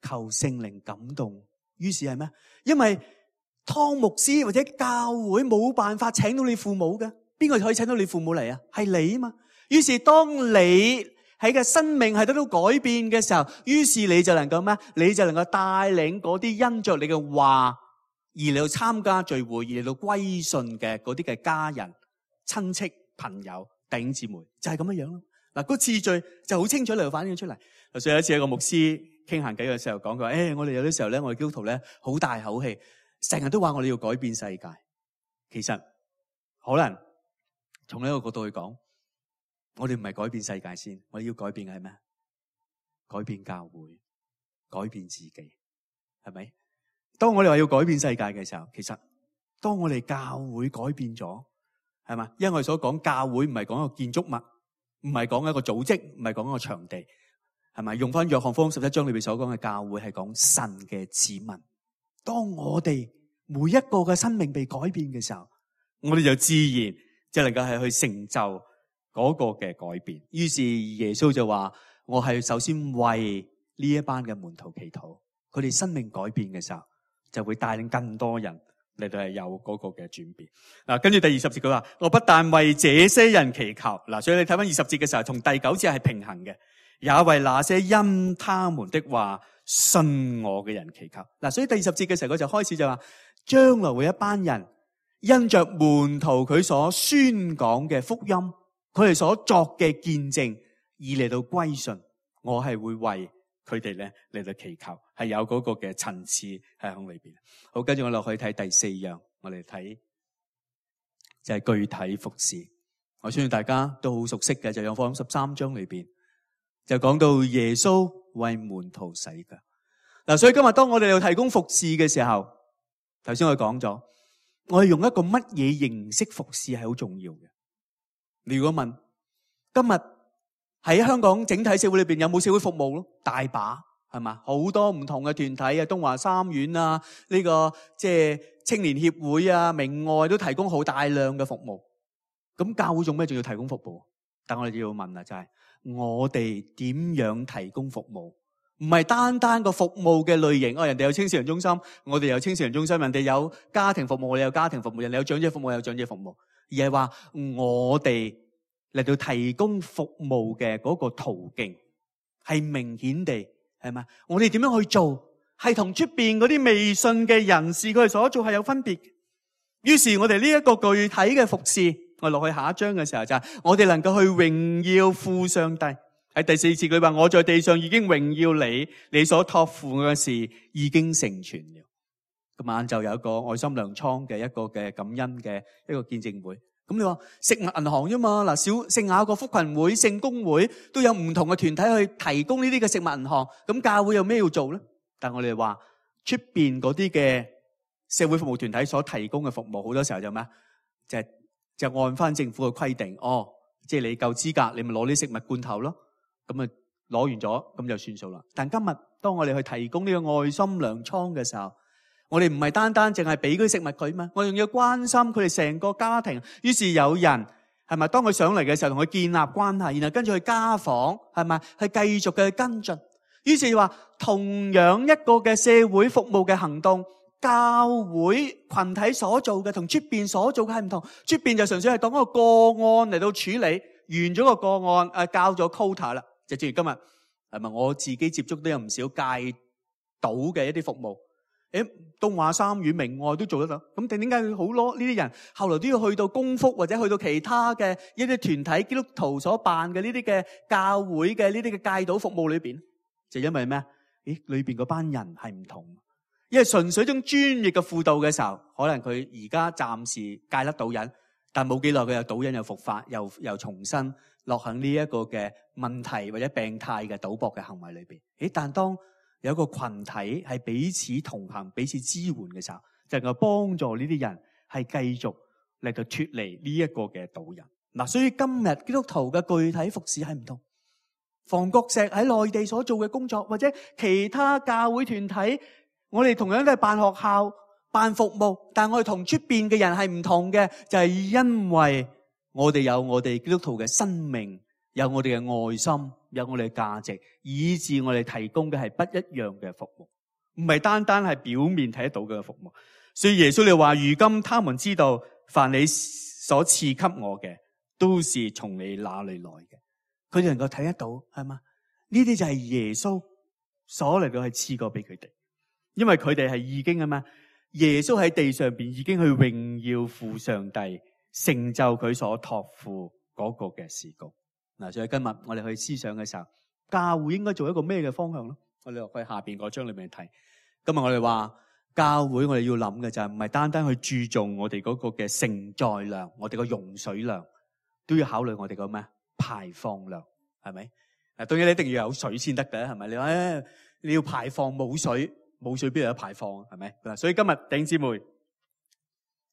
求聖靈感動。於是係咩？因為湯牧師或者教會冇辦法請到你父母嘅，邊個可以請到你父母嚟啊？係你啊嘛。於是當你喺嘅生命係得到改變嘅時候，於是你就能夠咩？你就能夠帶領嗰啲因着你嘅話而嚟到參加聚會而嚟到歸信嘅嗰啲嘅家人、親戚、朋友、弟兄姊妹，就係咁樣樣咯。嗱，個次序就好清楚嚟到反映出嚟。所以有一次有一個牧師傾閒偈嘅時候講，佢話：誒，我哋有啲時候咧，我哋基督徒咧好大口氣，成日都話我哋要改變世界。其實可能從呢一個角度去講，我哋唔係改變世界先，我哋要改變嘅係咩？改變教會，改變自己，係咪？當我哋話要改變世界嘅時候，其實當我哋教會改變咗，係嘛？因為我哋所講教會唔係講一個建築物，唔係講一個組織，唔係講一個場地。係咪用翻約翰福音十一章裏邊所講嘅教會係講神嘅子民？當我哋每一個嘅生命被改變嘅時候，我哋就自然就能夠係去成就嗰個嘅改變。於是耶穌就話：我係首先為呢一班嘅門徒祈禱，佢哋生命改變嘅時候，就會帶領更多人嚟到係有嗰個嘅轉變。嗱，跟住第二十節佢話：我不但為這些人祈求。嗱，所以你睇翻二十節嘅時候，同第九節係平衡嘅。也為那些因他們的話信我嘅人祈求。嗱，所以第二十節嘅時候，佢就開始就話，將來會一班人因着門徒佢所宣講嘅福音，佢哋所作嘅見證，而嚟到歸信。我係會為佢哋咧嚟到祈求，係有嗰個嘅層次喺響裏邊。好，跟住我落去睇第四樣，我哋睇就係具體服侍。我相信大家都好熟悉嘅，就係約翰福音十三章裏邊。就講到耶穌為門徒洗腳。嗱，所以今日當我哋要提供服侍嘅時候，頭先我講咗，我哋用一個乜嘢形式服侍係好重要嘅。你如果問今日喺香港整體社會裏邊有冇社會服務咯？大把，係嘛？好多唔同嘅團體啊，東華三院啊，呢個即係青年協會啊，明愛都提供好大量嘅服務。咁教會做咩仲要提供服務？但我哋要問啊，就係我哋點樣提供服務？唔係單單個服務嘅類型。哦，人哋有青少年中心，我哋有青少年中心；人哋有家庭服務，我哋有家庭服務；人哋有長者服務，有長者服務。而係話我哋嚟到提供服務嘅嗰個途徑，係明顯地係咪？我哋點樣去做，係同出邊嗰啲未信嘅人士佢哋所做係有分別。於是我哋呢一個具體嘅服侍，我落去下一章嘅時候就係我哋能夠去榮耀父上帝。喺第四節佢話，我在地上已經榮耀你，你所託付嘅事已經成全了。今晚就有一個愛心糧倉嘅一個嘅感恩嘅一個見證會。咁你話食物銀行啫嘛？嗱，小聖雅各福群會、聖公會都有唔同嘅團體去提供呢啲嘅食物銀行。咁教會有咩要做咧？但我哋話出邊嗰啲嘅社會服務團體所提供嘅服務，好多時候就咩？就係就按翻政府嘅規定，哦，即係你夠資格，你咪攞啲食物罐頭咯。咁啊，攞完咗咁就算數啦。但今日當我哋去提供呢個愛心糧倉嘅時候，我哋唔係單單淨係俾嗰啲食物佢嘛，我仲要關心佢哋成個家庭。於是有人係咪當佢上嚟嘅時候，同佢建立關係，然後跟住去家訪，係咪去繼續嘅跟進。於是話同樣一個嘅社會服務嘅行動，教會群體所做嘅同出邊所做嘅係唔同。出邊就純粹係當一個個案嚟到處理，完咗個個案誒，交咗 quota 啦。就正如今日係咪我自己接觸都有唔少戒賭嘅一啲服務。誒，東華三院明愛都做得到，咁定點解佢好多呢啲人後來都要去到公福或者去到其他嘅一啲團體基督徒所辦嘅呢啲嘅教會嘅呢啲嘅戒賭服務裏邊？就因為咩？咦，裏邊嗰班人係唔同，因為純粹一種專業嘅輔導嘅時候，可能佢而家暫時戒得賭癮，但冇幾耐佢又賭癮又復發，又又重新落喺呢一個嘅問題或者病態嘅賭博嘅行為裏邊。誒，但當有一個群體係彼此同行、彼此支援嘅時候，就能夠幫助呢啲人係繼續嚟到脫離呢一個嘅賭癮。嗱，所以今日基督徒嘅具體服侍係唔同。房國石喺內地所做嘅工作，或者其他教會團體，我哋同樣都係辦學校、辦服務，但我哋同出邊嘅人係唔同嘅，就係因為我哋有我哋基督徒嘅生命，有我哋嘅愛心，有我哋嘅價值，以致我哋提供嘅係不一樣嘅服務，唔係單單係表面睇得到嘅服務。所以耶穌你話，如今他們知道，凡你所賜給我嘅，都是從你那裏來嘅。佢哋能夠睇得到，係嘛？呢啲就係耶穌所嚟到係賜過俾佢哋，因為佢哋係已經啊嘛。耶穌喺地上邊已經去榮耀父上帝，成就佢所託付嗰個嘅事工。嗱，所以今日我哋去思想嘅時候，教會應該做一個咩嘅方向咧？我哋落去下邊嗰章裏面睇。今日我哋話教會，我哋要諗嘅就係唔係單單去注重我哋嗰個嘅承載量，我哋個容水量，都要考慮我哋個咩排放量，係咪？嗱，當然你一定要有水先得嘅，係咪？你話誒，你要排放冇水，冇水邊度有排放，係咪？嗱，所以今日弟兄姊妹，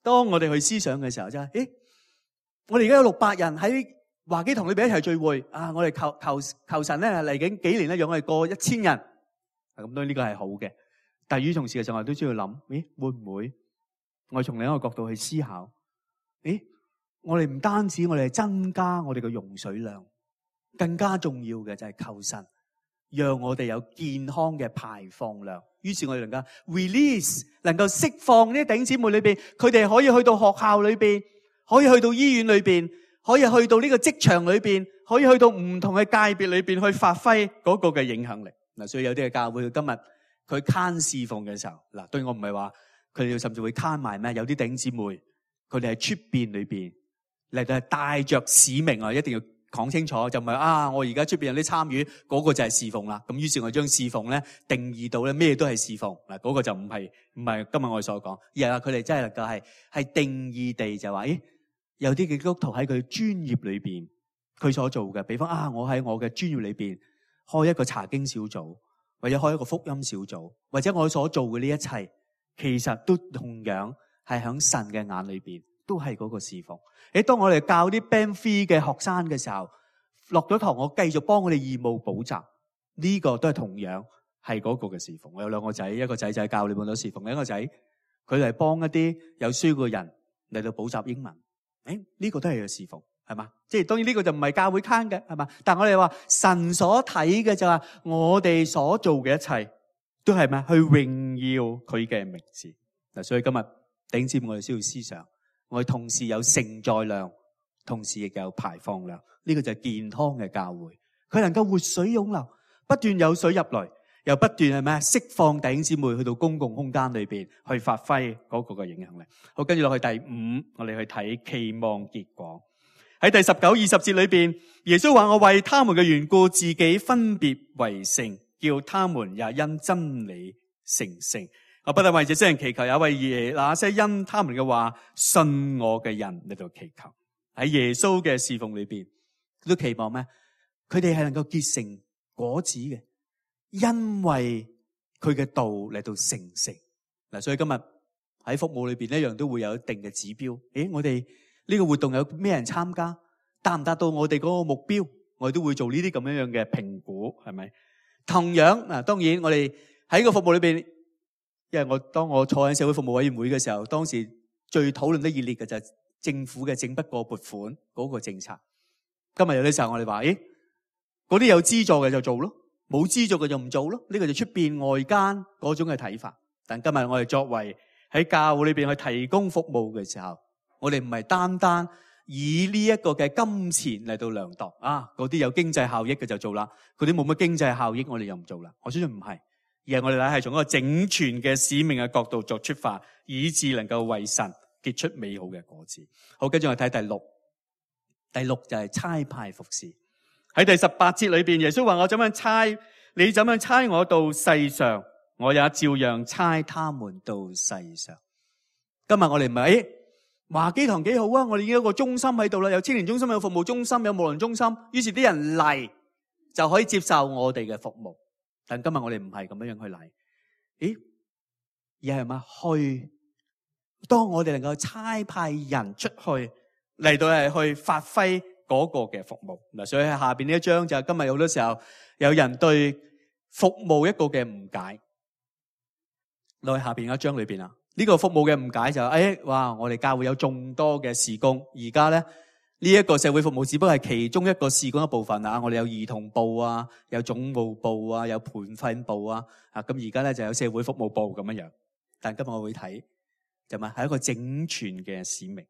當我哋去思想嘅時候，就係誒，我哋而家有六百人喺華基堂裏邊一齊聚會啊！我哋求求求神咧嚟緊幾年咧，讓我哋過一千人。咁當然呢個係好嘅，但係與同時嘅時候，我哋都需要諗，咦，會唔會我哋從另一個角度去思考？誒，我哋唔單止我哋係增加我哋嘅容水量，更加重要嘅就係求神讓我哋有健康嘅排放量。於是我哋能夠 release， 能夠釋放呢啲弟兄姊妹裏邊，佢哋可以去到學校裏邊，可以去到醫院裏邊，可以去到呢個職場裏邊，可以去到唔同嘅界別裏邊去發揮嗰個嘅影響力。嗱，所以有啲嘅教會今日佢慳侍奉嘅時候，嗱，對我唔係話佢哋甚至會慳埋咩？有啲弟兄姊妹佢哋喺出邊裏邊嚟到係帶着使命啊，一定要講清楚，就唔係啊！我而家出邊有啲參與，嗰個就係侍奉啦。咁於是我將侍奉咧定義到咧咩都係侍奉嗱，嗰個就唔係唔係今日我哋所講，而係佢哋真係能夠係係定義地就話，誒，有啲嘅基督徒喺佢專業裏邊佢所做嘅，比方啊，我喺我嘅專業裏邊開一個查經小組，或者開一個福音小組，或者我所做嘅呢一切，其實都同樣係喺神嘅眼裏邊，都係嗰個侍奉。誒，當我哋教啲 Band three 嘅學生嘅時候，落咗堂，我繼續幫我哋義務補習，呢個都係同樣係嗰個嘅侍奉。我有兩個仔，一個仔就係教你們咗侍奉，另一個仔佢係幫一啲有需要嘅人嚟到補習英文。誒，呢個都係個侍奉，係嘛？即係當然呢個就唔係教會坑嘅，係嘛？但係我哋話神所睇嘅就係我哋所做嘅一切都係咩？去榮耀佢嘅名字。嗱，所以今日頂尖我哋需要思想，我哋同時有承載量，同時亦有排放量。呢個就係健康嘅教會，佢能夠活水湧流，不斷有水入來，又不斷係咩？釋放弟兄姊妹去到公共空間裏邊去發揮嗰個嘅影響力。好，跟住落去第五，我哋去睇期望結果。喺第十九、二十節裏邊，耶穌話：我為他們嘅緣故，自己分別為聖，叫他們也因真理成聖。我不但為這些人祈求，也為耶那些因他們嘅話信我嘅人嚟到祈求。喺耶穌嘅侍奉裏邊，佢都期望咩？佢哋係能夠結成果子嘅，因為佢嘅道嚟到成聖。嗱，所以今日喺服務裏邊一樣都會有一定嘅指標。誒，我哋呢個活動有咩人參加，達唔達到我哋嗰個目標，我哋都會做呢啲咁樣樣嘅評估，係咪？同樣嗱，當然我哋喺個服務裏邊，因為我當我坐喺社會服務委員會嘅時候，當時最討論得熱烈嘅就係政府嘅整不過撥款嗰個政策。今日有啲時候我哋話，誒，嗰啲有資助嘅就做咯，冇資助嘅就唔做咯。呢個就出邊外間嗰種嘅睇法。但今日我哋作為喺教會裏邊去提供服務嘅時候，我哋唔係單單以呢一個嘅金錢嚟到量度啊，嗰啲有經濟效益嘅就做啦，嗰啲冇乜經濟效益我哋又唔做啦。我相信唔係，而係我哋咧係從一個整全嘅使命嘅角度作出發，以致能夠為神結出美好嘅果子。好，跟住我哋睇第六，第六就係差派服侍。喺第十八節裏邊，耶穌話：我怎樣差，你怎樣差我到世上，我也照樣差他們到世上。今日我哋唔係誒華基堂幾好啊，我哋已經有一個中心喺度啦，有青年中心，有服務中心，有牧靈中心，於是啲人嚟就可以接受我哋嘅服務。但今日我哋唔係咁樣樣去嚟，咦？而係咪去？當我哋能夠差派人出去嚟到係去發揮嗰個嘅服務嗱，所以喺下邊呢一章就係今日好多時候有人對服務一個嘅誤解。落去下邊一章裏邊啊，呢個服務嘅誤解就係，誒，哇！我哋教會有眾多嘅事工，而家咧呢一個社會服務只不過係其中一個事工一部分啊。我哋有兒童部啊，有總務部啊，有培訓部啊，啊咁而家咧就有社會服務部咁樣樣。但今日我會睇就係係一個整全嘅使命。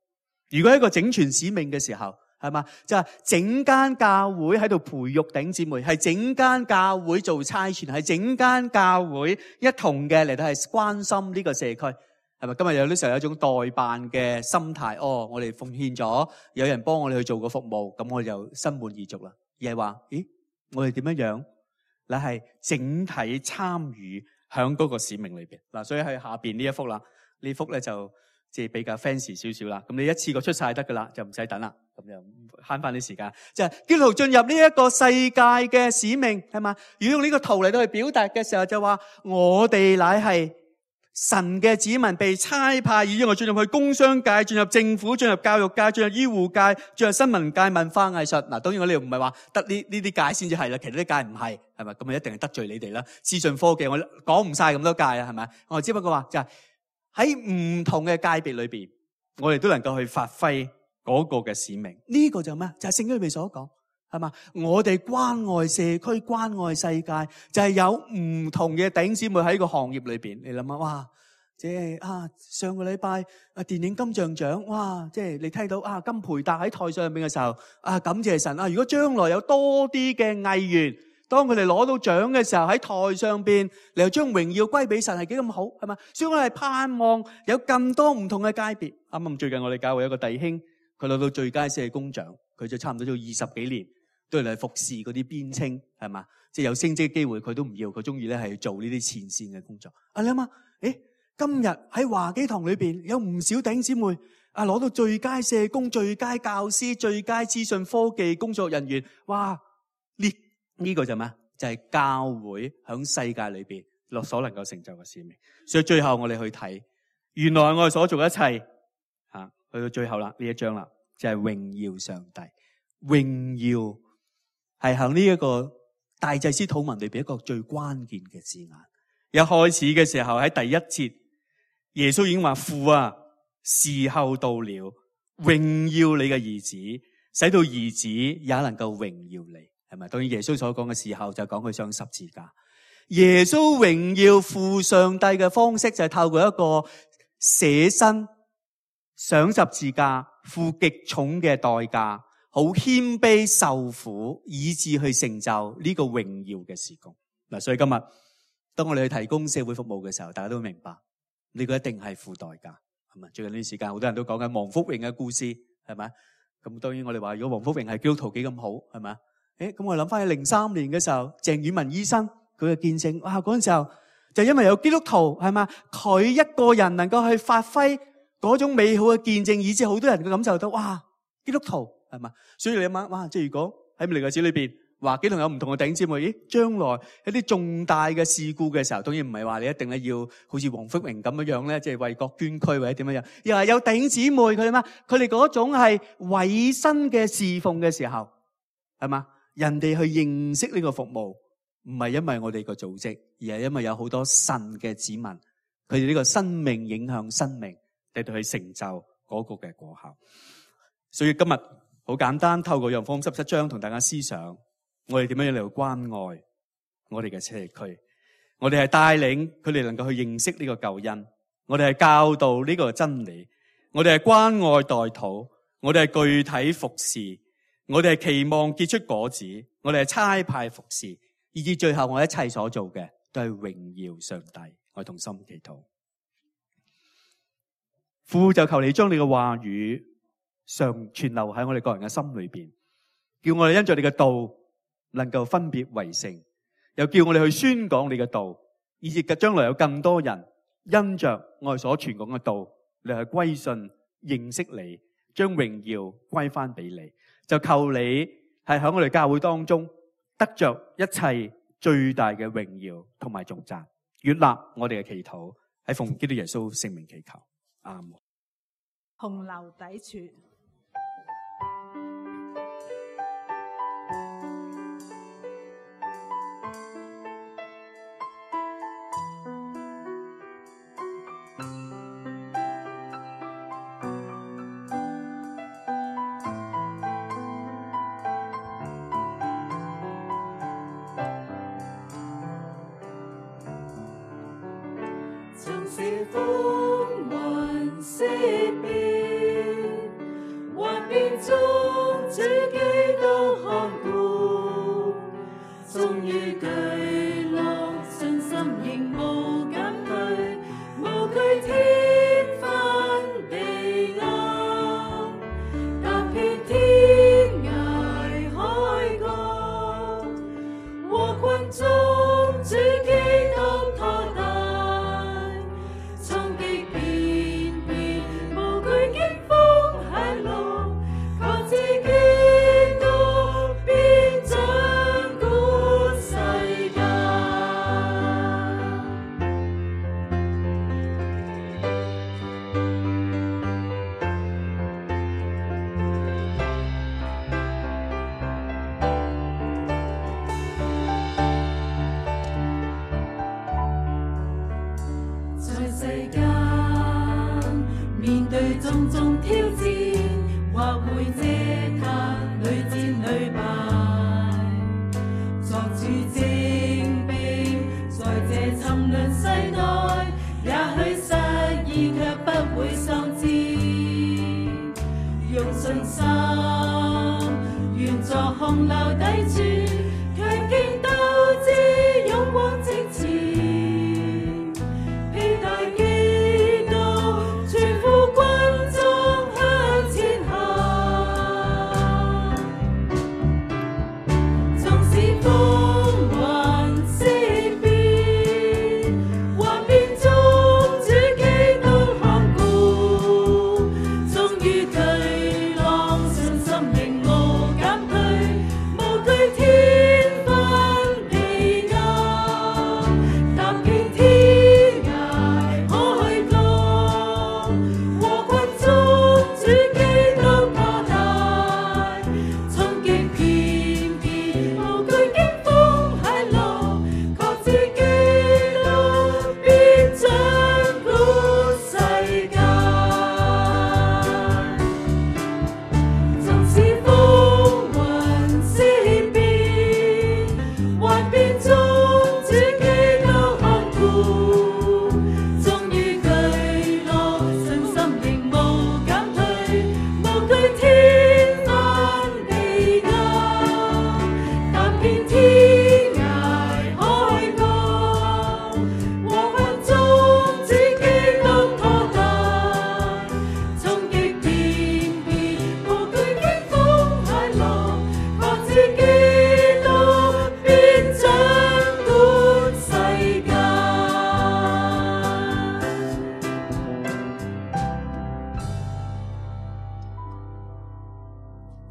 如果係一個整全使命嘅時候，係嘛？就係整間教會喺度培育頂姊妹，係整間教會做差傳，係整間教會一同嘅嚟到係關心呢個社區，係咪？今日有啲時候有一種代辦嘅心態，哦，我哋奉獻咗，有人幫我哋去做個服務，咁我哋就心滿意足啦。而係話，咦，我哋點樣樣？你係整體參與響嗰個使命裏邊嗱，所以喺下邊呢一幅啦，呢幅咧就即係比較 fancy 少少啦。咁你一次過出晒得噶啦，就唔使等啦。咁就慳翻啲時間，就係基督徒進入呢一個世界嘅使命，係嘛？如果用呢個圖嚟到去表達嘅時候，就話我哋乃係神嘅子民，被差派，以我進入去工商界、進入政府、進入教育界、進入醫護界、進入新聞界、文化藝術。嗱，當然我哋唔係話得呢呢啲界先至係啦，其他啲界唔係，係咪？咁啊一定係得罪你哋啦。資訊科技我講唔晒咁多界啊，係咪？我只不過話就係喺唔同嘅界別裏邊，我哋都能夠去發揮嗰個嘅使命，呢個就咩？就係聖經裏面所講，係嘛？我哋關愛社區、關愛世界，就係有唔同嘅弟兄姊妹喺個行業裏邊。你諗下，哇！即係啊，上個禮拜啊，電影金像獎，哇！即係你睇到啊，金培達喺台上面嘅時候，啊，感謝神啊！如果將來有多啲嘅藝員，當佢哋攞到獎嘅時候，喺台上邊，你又將榮耀歸俾神，係幾咁好，係嘛？所以我哋盼望有更多唔同嘅界別。啱啱最近我哋教會有個弟兄。佢攞到最佳社工獎，佢就差唔多做二十幾年，都嚟服侍嗰啲邊青，係嘛？即係有升職機會，佢都唔要，佢中意咧係做呢啲前線嘅工作。啊，你諗下，誒，今日喺華基堂裏邊有唔少弟兄姊妹啊，攞到最佳社工、最佳教師、最佳資訊科技工作人員，哇！呢呢個就咩？就係教會響世界裏邊落所能夠成就嘅使命。所以最後我哋去睇，原來我哋所做一切吓，去到最後啦，呢一章啦，就係榮耀上帝。榮耀係響呢一個大祭司禱文裏邊一個最關鍵嘅字眼。一開始嘅時候喺第一節，耶穌已經話：父啊，時候到了，榮耀你嘅兒子，使到兒子也能夠榮耀你，係咪？當然耶穌所講嘅時候就講佢上十字架。耶穌榮耀父上帝嘅方式就係透過一個捨身上十字架，付極重嘅代價，好謙卑受苦，以致去成就呢個榮耀嘅事工。嗱，所以今日當我哋去提供社會服務嘅時候，大家都明白呢個一定係付代價，係咪？最近呢段時間好多人都講緊黃福榮嘅故事，係咪？咁當然我哋話如果黃福榮係基督徒幾咁好，係咪？誒，咁我諗翻起零三年嘅時候，鄭婉文醫生佢嘅見證，哇！嗰陣時候就因為有基督徒，係嘛？佢一個人能夠去發揮嗰種美好嘅見證，以致好多人嘅感受到，哇！基督徒係嘛？所以你諗下，哇！即係如果喺未來嘅歷史裏邊，話基督徒有唔同嘅弟兄姊妹，咦？將來一啲重大嘅事故嘅時候，當然唔係話你一定咧要好似黃福榮咁樣樣咧，即係為國捐軀或者點樣樣，又係有弟兄姊妹佢哋嘛？佢哋嗰種係委身嘅侍奉嘅時候，係嘛？人哋去認識呢個服務，唔係因為我哋個組織，而係因為有好多神嘅子民，佢哋呢個生命影響生命，嚟到去成就嗰個嘅果效。所以今日好簡單，透過約翰福音十七章同大家思想，我哋點樣嚟到關愛我哋嘅社區，我哋係帶領佢哋能夠去認識呢個救恩，我哋係教導呢個真理，我哋係關愛代禱，我哋係具體服侍，我哋係期望結出果子，我哋係差派服侍，以至最後我哋一切所做嘅都係榮耀上帝。我哋同心祈禱。父，就求你將你嘅話語常存留喺我哋個人嘅心裏邊，叫我哋因着你嘅道能夠分別為聖，又叫我哋去宣講你嘅道，以至將來有更多人因着我哋所傳講嘅道，你去歸信認識你，將榮耀歸翻俾你。就求你係喺我哋教會當中得着一切最大嘅榮耀同埋頌讚，悅納我哋嘅祈禱，喺奉基督耶穌聖名祈求，阿門。紅樓底處。終於巨浪信心令無減退，無懼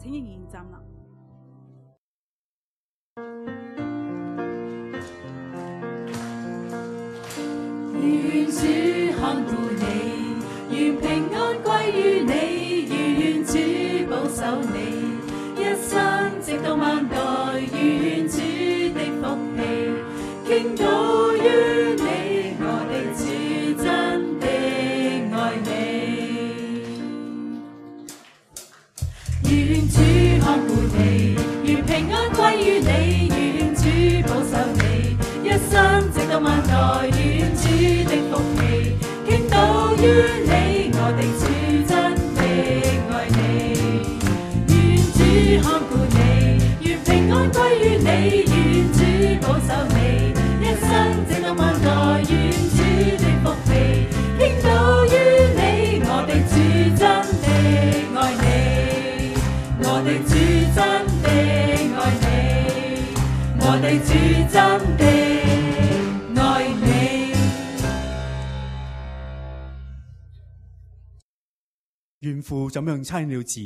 請仍然站立。願主看顧你，願平安歸於你，願主保守你，一生直到萬代。願主的福氣傾倒於你，我的主真的愛你。願主看顧你，願平安歸於你，願主保守你，一生直到萬代。願主的福氣傾倒於你，我的主真的愛你。願主看顧你，願平安歸於你，願主保守你，一生直到萬代。願主的福氣傾倒於你，我的主真的愛你，我的主真的愛你，我的主真的愛你。願父怎樣差了子，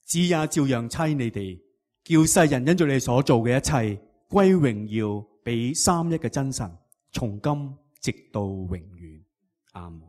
子也照樣差你哋，叫世人因着你所做嘅一切歸榮耀俾三一嘅真神，從今直到永遠。阿門。